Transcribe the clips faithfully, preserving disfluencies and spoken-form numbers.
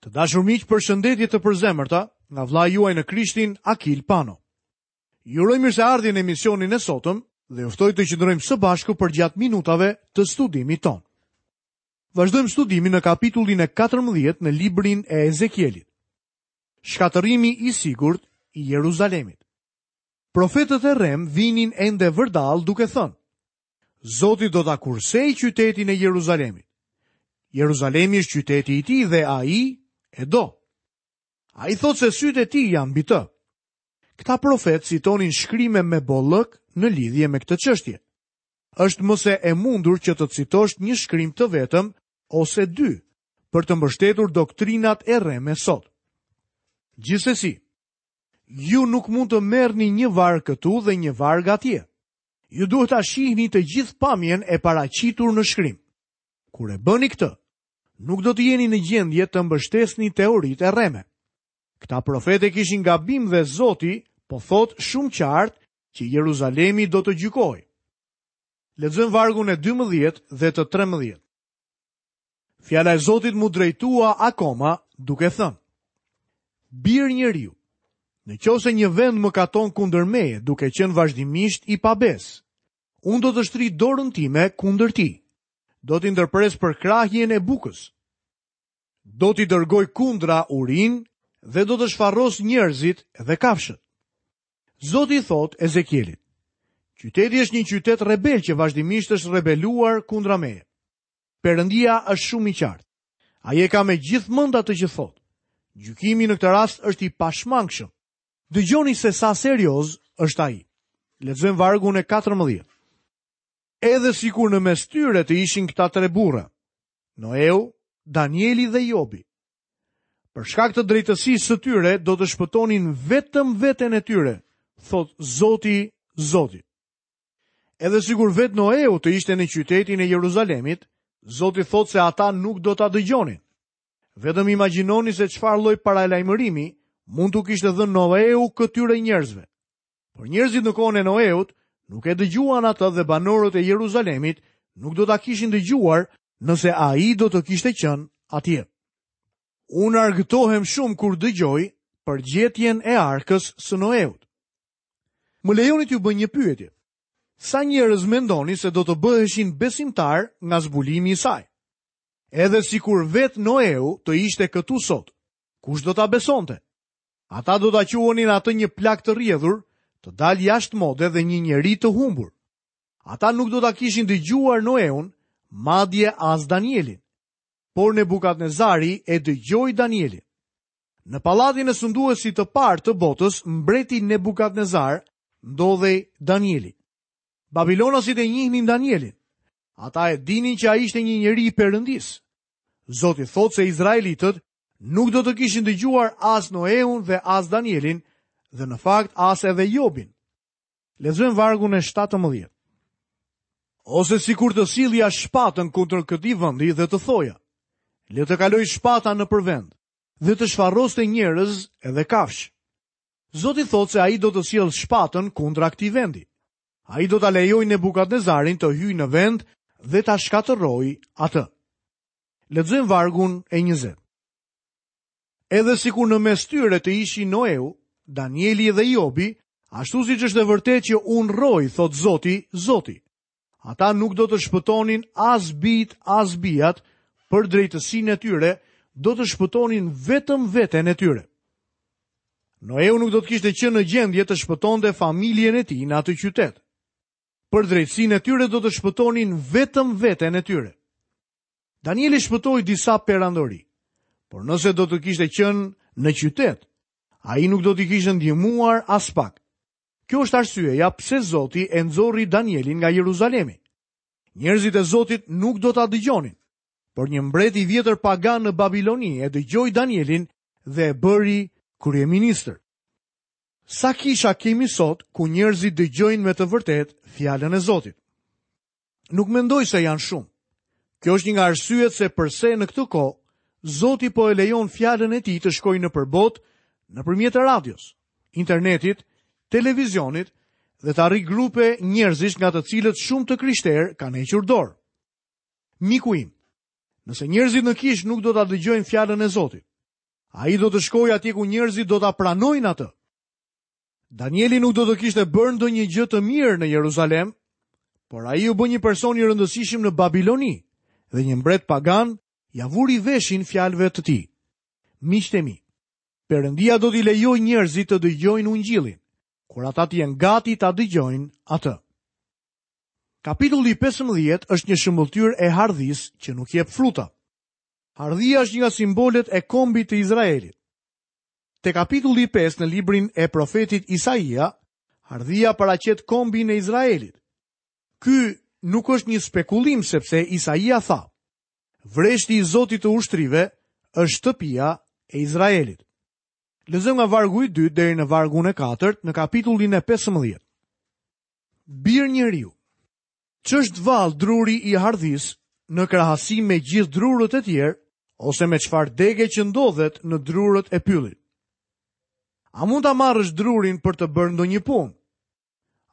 Të dashur miq, përshëndetje të përzemërta nga vëllai juaj në Krishtin, Akil Pano. Ju uroj mirëseardhjen në emisionin e sotëm dhe ju ftoj të qëndrojmë së bashku përgjatë minutave të studimit tonë. Vazhdojmë studimin në kapitullin e katërmbëdhjetë në librin e Ezekielit. Shkatërrimi i sigurt i Jeruzalemit. Profetët e rremë vinin ende vërdall duke thënë: Zoti do ta kursejë qytetin e Jeruzalemit. Jeruzalemi është qyteti i tij dhe ai e do. Ai thotë se sytë e tij janë mbi të. Këta profetë citonin shkrime me bollëk në lidhje me këtë çështje. Është më se e mundur që të citosh një shkrim të vetëm ose dy për të mbështetur doktrinat e rreme sot. Gjithsesi, ju nuk mund të merrni një varg këtu dhe një varg atje. Ju duhet ta shihni të gjithë pamjen e paraqitur në shkrim. Kur e bëni këtë, nuk do të jeni në gjendje të mbështesni teoritë e rreme. Këta profete kishin gabim dhe Zoti po thot shumë qartë që Jeruzalemi do të gjykohej. Lexojmë vargun e dymbëdhjetë dhe të trembëdhjetë. Fjala e Zotit mu drejtua akoma duke thënë: Bir njeriu, në qoftë se një vend më katon kundër meje, duke qenë vazhdimisht i pabes, unë do të shtri dorën time kundër tij. Do t'i ndërpres përkrahjen e bukës. Do t'i dërgoj kundra urin dhe do të shfarros njerëzit dhe kafshët. Zoti i thot Ezekielit: Qyteti është një qytet rebel që vazhdimisht është rebeluar kundra meje. Perëndia është shumë i qartë. Ai e ka me gjithë mend atë që thot. Gjykimi në këtë rast është i pashmangshëm. Dëgjoni se sa serioz është ai. Lexojmë vargun e katërmbëdhjetë. Edhe sikur në mes tyre të ishin këta tre burra, Noeu, Danieli dhe Jobi. Për shkak të drejtësisë së tyre do të shpëtonin vetëm veten e tyre, thot Zoti, Zoti. Edhe sikur vetë Noeu të ishte në qytetin e Jeruzalemit, Zoti thot se ata nuk do ta dëgjonin. Vetëm imagjinoni se çfarë lloj paralajmërimi mund t'u kishte dhënë Noeu këtyre njerëzve. Por njerëzit në kohën e Noeut nuk e dëgjuan atë dhe banorët e Jeruzalemit nuk do ta kishin dëgjuar nëse ai do të kishte qenë atje. Unë argëtohem shumë kur dëgjoj për gjetjen e arkës së Noeut. Më lejoni t'ju bëj një pyetje. Sa njerëz mendoni se do të bëheshin besimtar nga zbulimi i saj? Edhe sikur vetë Noeu të ishte këtu sot, kush do ta besonte? Ata do ta quanin atë një plak të rrjedhur, të dalë jashtë mode dhe një njeri të humbur. Ata nuk do ta kishin dëgjuar Noeun, madje as Danielin. Por Nebukadnezari e dëgjoi Danielin. Në pallatin e sunduesit të parë të botës, mbreti Nebukadnezar ndodhej Danieli. Babilonasit e njihnin Danielin. Ata e dinin që ai ishte një njeri i Perëndisë. Zoti thotë se izraelitët nuk do të kishin dëgjuar as Noeun dhe as Danielin, dhe në fakt as edhe Jobin. Lexojmë vargun e shtatëmbëdhjetë. Ose sikur të sillja shpatën kundër këtij vendi dhe të thoja: Le të kaloj shpata nëpër vend dhe të shfarroste njerëz edhe kafshë. Zoti thotë se ai do të sjellë shpatën kundra këtij vendi. Ai do ta lejojë Nebukadnezarin të hyjë në vend dhe ta shkatërrojë atë. Lexojmë vargun e njëzet. Edhe sikur në mes tyre të ishin Noeu, Danieli dhe Jobi, ashtu siç është e vërtetë që unë rroj, thot Zoti, Zoti. Ata nuk do të shpëtonin as bijt, as bijat, për drejtësinë e tyre, do të shpëtonin vetëm veten e tyre. Noeu nuk do të kishte qenë në gjendje të shpëtonte familjen e tij në atë qytet. Për drejtësinë e tyre do të shpëtonin vetëm veten e tyre. Danieli shpëtoi disa perandori, por nëse do të kishte qenë në qytet, ai nuk do t'i kishte ndihmuar as pak. Kjo është arsyeja pse Zoti e nxori Danielin nga Jeruzalemi. Njerëzit e Zotit nuk do ta dëgjonin, por një mbret i vjetër pagan në Babiloni e dëgjoi Danielin dhe e bëri kryeministër. Sa kisha kemi sot ku njerëzit dëgjojnë me të vërtetë fjalën e Zotit? Nuk mendoj se janë shumë. Kjo është një nga arsyet se përse në këtë kohë Zoti po e lejon fjalën e tij të shkojë nëpër botë nëpërmjet radios, internetit, televizionit dhe të arrijë grupe njerëzish nga të cilët shumë të krishterë kanë hequr dorë. Miku im, nëse njerëzit në kishë nuk do ta dëgjojnë fjalën e Zotit, Ai do të shkojë atje ku njerëzit do ta pranojnë atë. Danieli nuk do të kishte bërë ndonjë gjë të mirë në Jeruzalem, por ai u bë një person i rëndësishëm në Babiloni dhe një mbret pagan ia vuri veshin fjalëve të tij. Miqtë e mi, Perëndia do t'i lejojë njerëzit të dëgjojnë ungjillin, kur ata të jenë gati ta dëgjojnë atë. Kapitulli pesëmbëdhjetë është një shëmbëlltyrë e hardhisë që nuk jep fruta. Hardhia është një nga simbolet e kombit të Izraelit. Te kapitulli pesë në librin e profetit Isaia, hardhia paraqet kombin e Izraelit. Ky nuk është një spekulim sepse Isaia tha: Vreshti i Zotit të ushtrive është shtëpia e Izraelit. Lexojmë nga vargu i dytë deri në vargun e katërt në kapitullin e pesëmbëdhjetë. Bir njeriu, ç'është vallë druri i hardhisë në krahasim me gjithë drurët e tjerë ose me çfarë dege që ndodhet në drurët e pyllit? A mund ta marrësh drurin për të bërë ndonjë punë?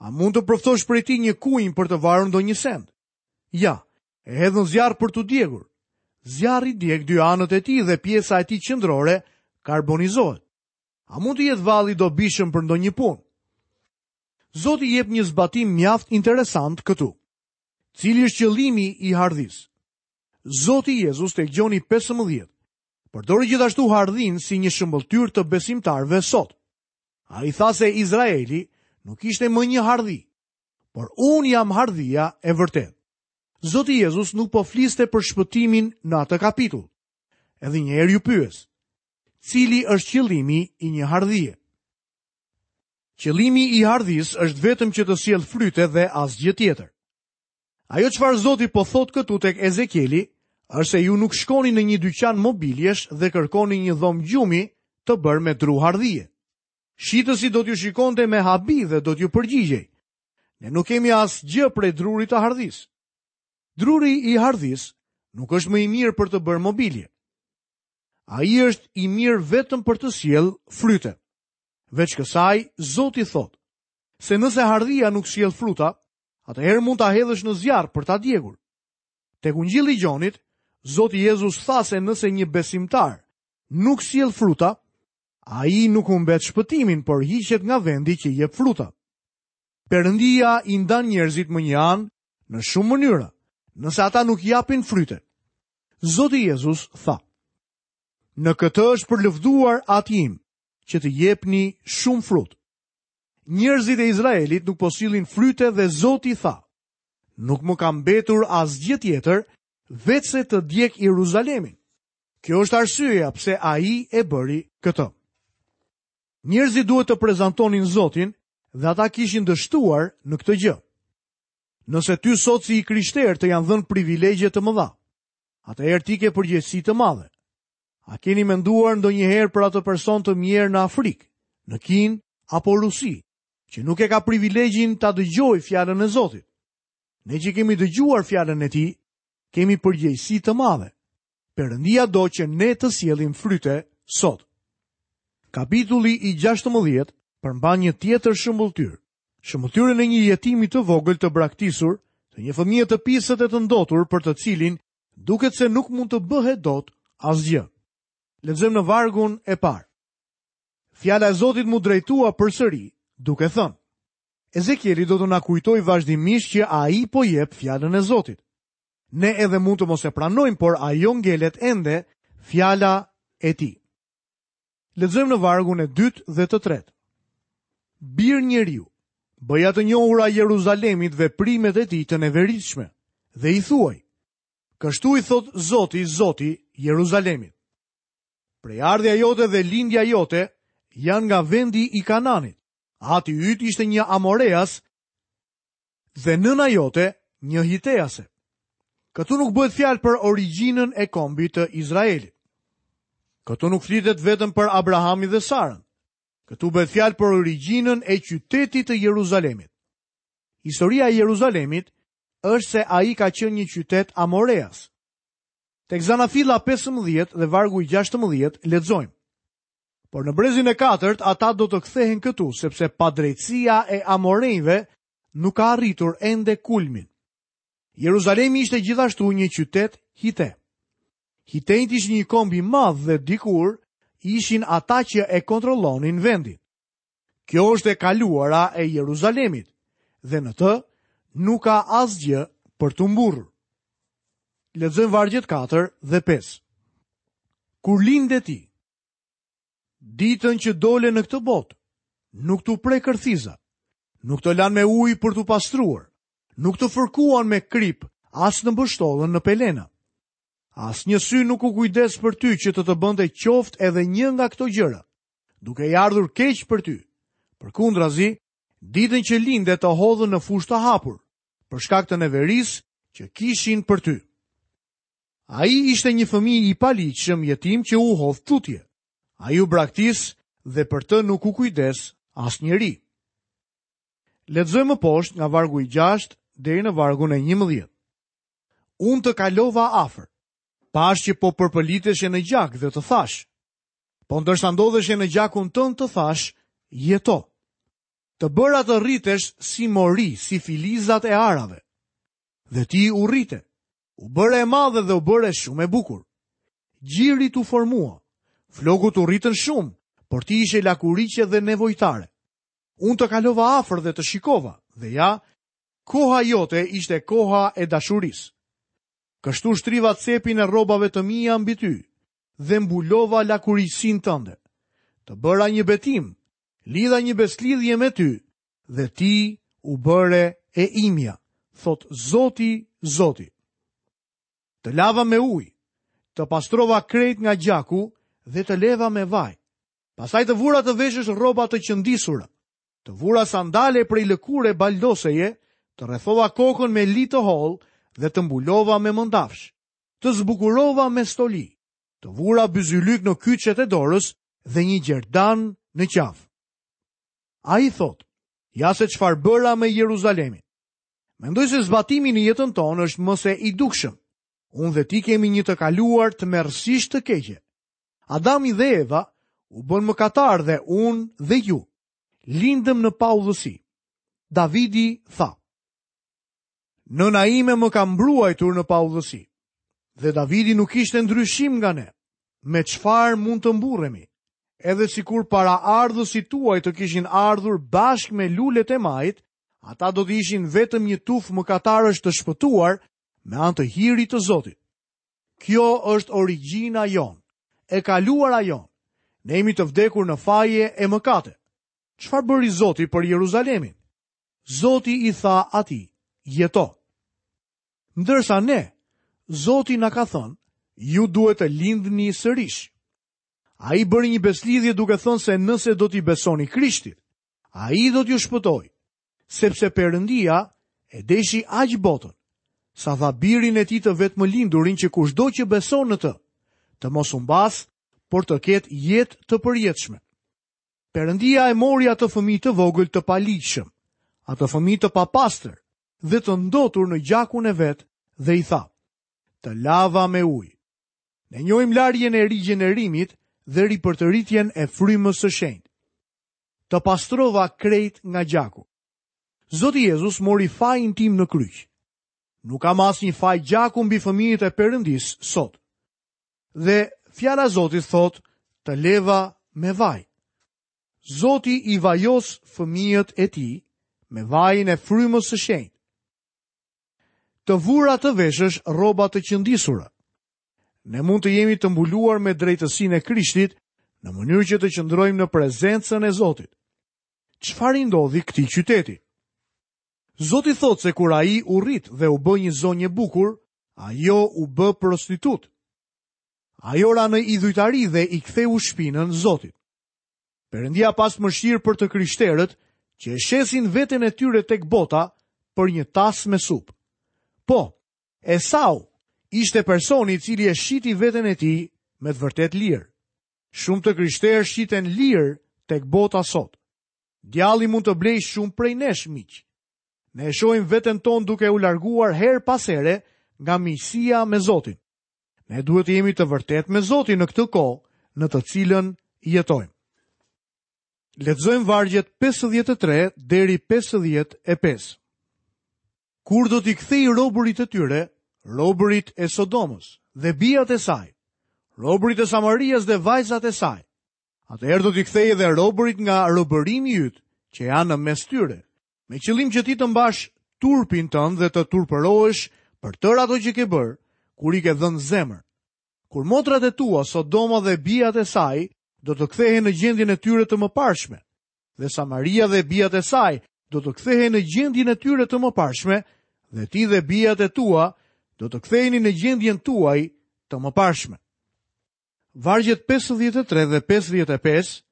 A mund të përftosh prej tij një kunj për të varur ndonjë send? Ja, e hedh në zjarr për t'u djegur. Zjarri djeg dy anët e tij dhe pjesa e tij qendrore karbonizohet. A mund të jetë vallë i dobishëm për ndonjë punë? Zoti jep një zbatim mjaft interesant këtu. Cili është qëllimi i hardhisë? Zoti Jezus tek Gjoni pesëmbëdhjetë përdori gjithashtu hardhin si një shëmbëlltyrë të besimtarëve sot. Ai tha se Izraeli nuk ishte më një hardhi, por unë jam hardhia e vërtetë. Zoti Jezus nuk po fliste për shpëtimin në atë kapitull. Edhe një herë ju pyes, cili është qëllimi i një hardhie? Qëllimi i hardhisë është vetëm që të sjellë fryte dhe asgjë tjetër. Ajo çfarë Zoti po thotë këtu tek Ezekieli është se ju nuk shkoni në një dyqan mobiljesh dhe kërkoni një dhomë gjumi të bërë me dru hardhie. Shitësi do t'ju shikonte me habi dhe do t'ju përgjigjej. Ne nuk kemi asgjë prej drurit të hardhisë. Druri i hardhisë nuk është më i mirë për të bërë mobilje. Ai është i mirë vetëm për të sjellë fryte. Veç kësaj, Zoti thotë se nëse hardhia nuk sjell fruta, atëherë mund ta hedhësh në zjarr për ta djegur. Tek Ungjilli i Gjonit, Zoti Jezus tha se nëse një besimtar nuk sjell fruta, ai nuk humbet shpëtimin, por hiqet nga vendi që jep fruta. Perëndia i ndan njerëzit më një anë në shumë mënyra, nëse ata nuk japin fryte. Zoti Jezus tha: Në këtë është përlëvduar ati im, që të jepni shumë frut. Njerëzit e Izraelit nuk po sillin fryte dhe Zoti tha: Nuk më ka mbetur asgjë tjetër, veçse të djeg Jeruzalemin. Kjo është arsyeja pse ai e bëri këtë. Njerëzit duhet të prezantonin Zotin dhe ata kishin dështuar në këtë gjë. Nëse ty sot si i krishterë të janë dhënë privilegje të mëdha, atëherë ti ke përgjegjësi të madhe. A keni menduar ndonjëherë për atë person të mjerë në Afrikë, në Kinë apo Rusi, që nuk e ka privilegjin ta dëgjojë fjalën e Zotit? Ne që kemi dëgjuar fjalën e tij, kemi përgjegjësi të madhe. Perëndia do që ne të sjellim fryte sot. Kapitulli i gjashtëmbëdhjetë përmban një tjetër shëmbëlltyrë. Shëmbëlltyrën e një jetimi të vogël të braktisur, të një fëmije të pisët e të ndotur për të cilin duket se nuk mund të bëhet dot asgjë. Lexojmë në vargun e parë. Fjala e Zotit mu drejtua përsëri, duke thënë: Ezekieli do të na kujtojë vazhdimisht që ai po jep fjalën e Zotit. Ne edhe mund të mos e pranojmë, por ajo ngelet ende fjala e tij. Lexojmë në vargun e dytë dhe të tretë. Bir njeriu, bëja të njohura Jeruzalemit veprimet e tij të neveritshme dhe i thuaj: Kështu i thot Zoti, Zoti Jeruzalemit. Prejardhja jote dhe lindja jote janë nga vendi i Kananit. Ati yt ishte një Amoreas dhe nëna jote një Hitease. Këtu nuk bëhet fjalë për origjinën e kombit të Izraelit. Këtu nuk flitet vetëm për Abrahamin dhe Sarën. Këtu bëhet fjalë për origjinën e qytetit të Jeruzalemit. Historia e Jeruzalemit është se ai ka qenë një qytet Amoreas. Tek Zanafilla pesëmbëdhjetë dhe vargu i gjashtëmbëdhjetë lexojmë: Por në brezin e katërt ata do të kthehen këtu, sepse padrejtësia e Amorejve nuk ka arritur ende kulmin. Jeruzalemi ishte gjithashtu një qytet hite. Hitejt ishin një komb i madh dhe dikur ishin ata që e kontrollonin vendin. Kjo është e kaluara e Jeruzalemit dhe në të nuk ka asgjë për t'u mburrur. Lexojmë vargjet katër dhe pesë. Kur linde ti, ditën që dole në këtë botë, nuk t'u pre kërthiza, nuk të lan me ujë për t'u pastruar, nuk të fërkuan me krip, as në mbështollën në pelena. Asnjë sy nuk u kujdes për ty që të të bënte qoftë edhe një nga këto gjëra, duke i ardhur keq për ty. Përkundrazi, ditën që linde të hodhën në fushë të hapur, për shkak të neverisë që kishin për ty. Ai ishte një fëmijë i paligjshëm jetim që u hodh tutje. Ai u braktis dhe për të nuk u kujdes asnjeri. Lexojmë më poshtë nga vargu i gjashtë deri në vargun e njëmbëdhjetë. Unë të kalova afër, pash që po përpëliteshe në gjak dhe të thash. Po ndërsa ndodheshe në gjakun tënd të thash, jeto. Të bëra të rritesh si mori, si filizat e arave. Dhe ti u rrite, u bëre e madhe dhe u bëre shumë e bukur. Gjiri t'u formua, flokut u rritën shumë, por ti ishe lakuriqe dhe nevojtare. Unë të kalova afër dhe të shikova, dhe ja, koha jote ishte koha e dashurisë. Kështu shtriva cepin e rrobave të mia mbi ty dhe mbulova lakuriqësinë tënde. Të bëra një betim, lidha një beslidhje me ty dhe ti u bëre e imja, thot Zoti, Zoti. Të lava me ujë, të pastrova krejt nga gjaku dhe të leva me vaj. Pastaj të vura të veshësh rroba të qëndisura, të vura sandale prej lëkure baldoseje, të rrethova kokën me li të hollë dhe të mbulova me mëndafsh, të zbukurova me stoli, të vura byzylyk në kyçet e dorës dhe një gjerdan në qafë. Ai thot, ja se çfarë bëra me Jeruzalemin. Mendoj se zbatimi në jetën tonë është më se i dukshëm. Unë dhe ti kemi një të kaluar të tmerrësisht të keqe. Adami dhe Eva u bën mëkatar dhe unë dhe ju lindëm në paudhësi. Davidi tha, nëna ime më ka mbruajtur në paudhësi. Dhe Davidi nuk ishte ndryshim nga ne. Me çfarë mund të mburremi? Edhe sikur para ardhësit tuaj të kishin ardhur bashkë me lulet e majit, ata do të ishin vetëm një tufë mëkatarësh të shpëtuar me anë të hirit të Zotit. Kjo është origjina jonë, e kaluara jonë. Ne jemi të vdekur në faje e mëkate. Çfarë bëri Zoti për Jeruzalemin? Zoti i tha atij, jeto. Ndërsa ne, Zoti na ka thënë, ju duhet të lindni sërish. Ai bëri një beslidhje duke thënë se nëse do t'i besoni Krishtit, ai do t'ju shpëtojë, sepse Perëndia e deshi aq botën, sa dha birin e tij të vetëmlindurin që kushdo që beson në të, të mos humbas, por të ketë jetë të përjetshme. Perëndia e mori atë fëmijë të vogël të paligjshëm, atë fëmijë të papastër dhe të ndotur në gjakun e vet dhe i tha, të lava me ujë. Ne njohim larjen e rigjenerimit dhe ripërtëritjen e frymës së shenjtë. Të pastrova krejt nga gjaku. Zoti Jezus mori fajin tim në kryq. Nuk kam asnjë faj gjaku mbi fëmijët e Perëndisë sot. Dhe fjala e Zotit thotë, të leva me vaj. Zoti i vajos fëmijët e tij me vajin e frymës së shenjtë. Të vura të veshësh rroba të qëndisura. Ne mund të jemi të mbuluar me drejtësinë e Krishtit në mënyrë që të qëndrojmë në prezencën e Zotit. Çfarë i ndodhi këtij qyteti? Zoti thotë se kur ai u rrit dhe u bë një zonjë e bukur, ajo u bë prostitut. Ajo ra në idhujtari dhe i ktheu shpinën Zotit. Perëndia pas mëshirë për të krishterët që e shesin veten e tyre tek bota për një tas me supë. Po, Esau ishte personi i cili e shiti veten e tij me të vërtet lirë. Shumë të krishterë shiten lirë tek bota sot. Djalli mund të blejë shumë prej nesh, miq. Ne e shohim veten tonë duke u larguar herë pas here nga miqësia me Zotin. Ne duhet të jemi të vërtetë me Zotin në këtë kohë në të cilën jetojmë. Lexojmë vargjet pesëdhjetë e tre deri pesëdhjetë e pesë. Kur do t'i kthej robërit e tyre, robërit e Sodomës dhe bijat e saj, robërit e Samarias dhe vajzat e saj, Atëherë do t'i kthej edhe robërit nga robërimi yt, që janë në mes tyre, me qëllim që ti të mbash turpin tënd dhe të turpërohesh për tërë ato që ke bërë, kur i ke dhënë zemër. Kur motrat e tua, Sodoma dhe bijat e saj, do të kthehen në gjendjen e tyre të mëparshme, dhe Samaria dhe bijat e saj do të kthehen në gjendjen e tyre të mëparshme, dhe ti dhe bijat e tua do të ktheheni në gjendjen tuaj të mëparshme. Vargjet pesëdhjetë e tre dhe pesëdhjetë e pesë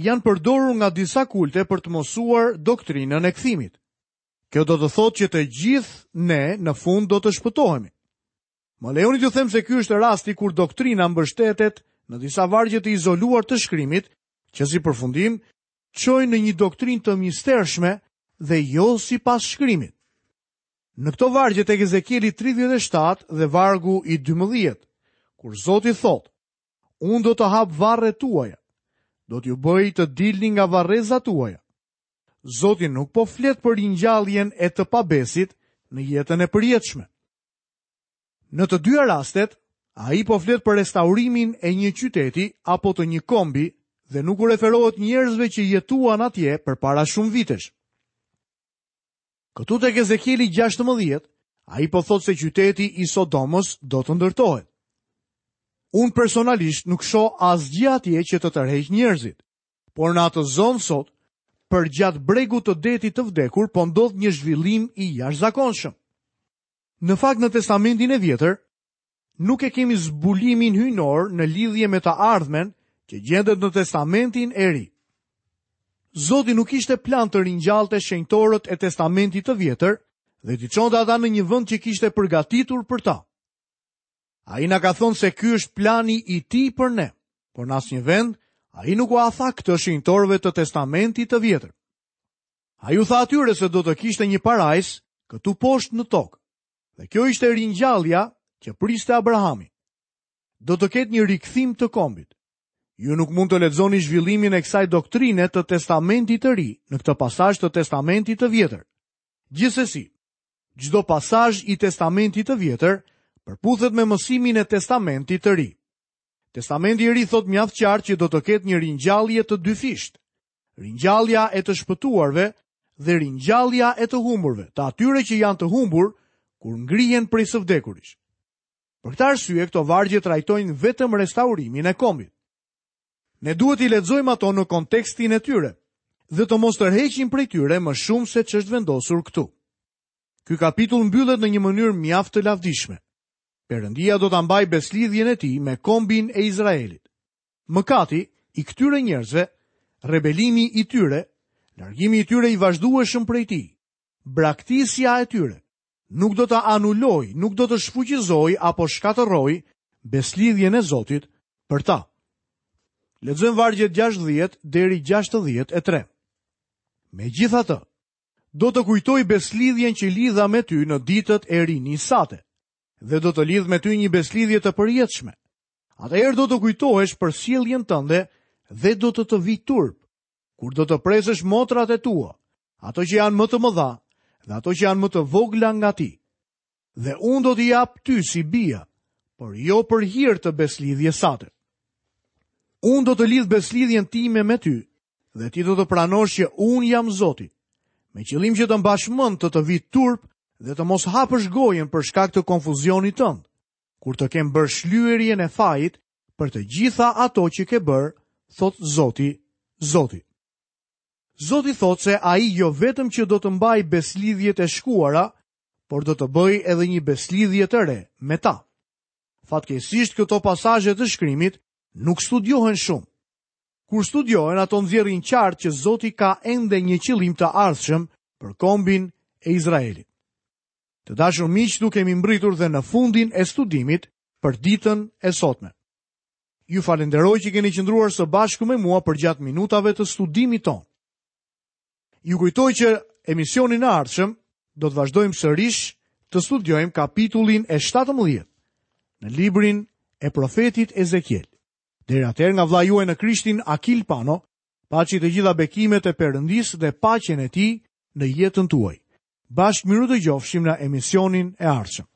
janë përdorur nga disa kulte për të mësuar doktrinën e kthimit. Kjo do të thotë që të gjithë ne në fund do të shpëtohemi. Më lejoni t'ju them se ky është rasti kur doktrina mbështetet në disa vargje të izoluar të shkrimit, që si përfundim çojnë në një doktrinë të mistershme dhe jo sipas shkrimit. Në këto vargje tek Ezekieli tridhjetë e shtatë dhe vargu i dymbëdhjetë, kur Zoti thotë: Unë do të hap varret tuaja, do t'ju bëj të dilni nga varrezat tuaja. Zoti nuk po flet për ringjalljen e të pabesit në jetën e përjetshme. Në të dyja rastet, ai po flet për restaurimin e një qyteti apo të një kombi dhe nuk u referohet njerëzve që jetuan atje përpara shumë vitesh. Këtu tek Ezekieli gjashtëmbëdhjetë, ai po thotë se qyteti i Sodomës do të ndërtohet. Unë personalisht nuk shoh asgjë atje që të tërheq njerëzit, por në atë zonë sot, përgjatë bregut të detit të vdekur, po ndodh një zhvillim i jashtëzakonshëm. Në fakt, në Testamentin e Vjetër, nuk e kemi zbulimin hyjnor në lidhje me të ardhmen që gjendet në Testamentin e Ri. Zoti nuk ishte plan të ringjallte shenjtorët e Testamentit të Vjetër dhe t'i çonte ata në një vend që kishte përgatitur për ta. Ai na ka thënë se ky është plani i tij për ne, por në asnjë vend ai nuk ua tha këtë shenjtorëve të Testamentit të Vjetër. Ai u tha atyre se do të kishte një parajs këtu poshtë në tokë. Dhe kjo ishte ringjallja që priste Abrahami. Do të ketë një rikthim të kombit. Ju nuk mund të lexoni zhvillimin e kësaj doktrine të Testamentit të Ri në këtë pasazh të Testamentit të Vjetër. Gjithsesi, çdo pasazh i Testamentit të Vjetër përputhet me mësimin e Testamentit të Ri. Testamenti i Ri thot mjaft qartë që do të ketë një ringjallje të dyfishtë. Ringjallja e të shpëtuarve dhe ringjallja e të humburve, të atyre që janë të humbur kur ngrihen prej së vdekurish. Për këtë arsye, këto vargje trajtojnë vetëm restaurimin e kombit. Ne duhet i lexojmë ato në kontekstin e tyre dhe të mos tërheqim prej tyre më shumë se ç'është vendosur këtu. Ky kapitull mbyllet në një mënyrë mjaft të lavdishme. Perëndia do ta mbajë beslidhjen e tij me kombin e Izraelit. Mëkati i këtyre njerëzve, rebelimi i tyre, largimi i tyre i vazhdueshëm prej tij, braktisja e tyre, nuk do ta anulojë, nuk do të shfuqizojë apo shkatërrojë beslidhjen e Zotit për ta. Lexojmë vargjet gjashtëdhjetë deri gjashtëdhjetë e tre. Megjithatë, do të kujtoj beslidhjen që lidha me ty në ditët e rinisë sate, dhe do të lidh me ty një beslidhje të përjetshme. Atëherë do të kujtohesh për sjelljen tënde dhe do të të vijë turp, kur do të presësh motrat e tua, ato që janë më të mëdha dhe ato që janë më të vogla nga ti. Dhe unë do t'i jap ty si bia, por jo për hir të beslidhjes sate. Unë do të lidh beslidhjen time me ty, dhe ti do të pranosh që unë jam Zoti, me qëllim që të mbash mend të të vijë turp dhe të mos hapësh gojën për shkak të konfuzionit tënd, kur të kem bërë shlyerjen e fajit për të gjitha ato që ke bërë, thot Zoti, Zoti. Zoti thot se ai jo vetëm që do të mbajë beslidhjet e shkuara, por do të bëjë edhe një beslidhje të re me ta. Fatkeqësisht këto pasazhe të shkrimit nuk studiohen shumë. Kur studiohen, ato nxjerrin qartë që Zoti ka ende një qëllim të ardhshëm për kombin e Izraelit. Të dashur miq, këtu kemi mbritur dhe në fundin e studimit për ditën e sotme. Ju falenderoj që keni qëndruar së bashku me mua përgjatë minutave të studimit tonë. Ju kujtoj që emisionin e ardhshëm do të vazhdojmë sërish të studiojmë kapitullin e shtatëmbëdhjetë në librin e profetit Ezekiel. Deri atëherë nga vëllai juaj në Krishtin Akil Pano, paçi të gjitha bekimet e Perëndisë dhe paqen e tij në jetën tuaj. Bashkë mirudëgjofshim në emisionin e ardhshëm.